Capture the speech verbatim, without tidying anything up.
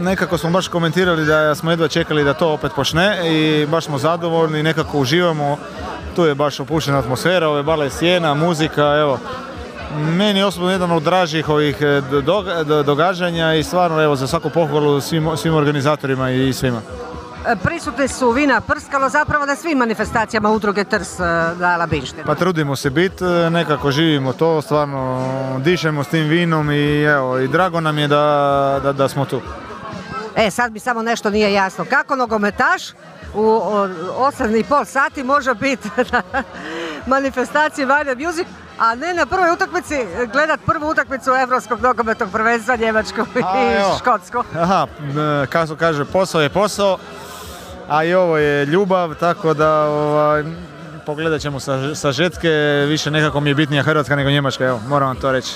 Nekako smo baš komentirali da smo jedva čekali da to opet počne i baš smo zadovoljni, nekako uživamo. Tu je baš opuštena atmosfera, ove bale sjena, muzika, evo. Meni je osobno jedan od dražih ovih događanja i stvarno evo za svaku pohvalu svim, svim organizatorima i svima. Prisutni su vina Prskalo zapravo na svim manifestacijama udruge Trst na Labinštini. Pa trudimo se biti, nekako živimo to, stvarno dišemo s tim vinom i evo i drago nam je da, da, da smo tu. E, sad mi samo nešto nije jasno. Kako nogometaš u osam i pol sati može biti na manifestaciji Vajda Music, a ne na prvoj utakmici gledat prvu utakmicu Europskog nogometnog prvenstva Njemačku i Škotsku? Aha, kako kaže, posao je posao, a i ovo je ljubav, tako da ovaj, pogledat ćemo sa, sa žetke, više nekako mi je bitnija Hrvatska nego Njemačka, evo, moram vam to reći.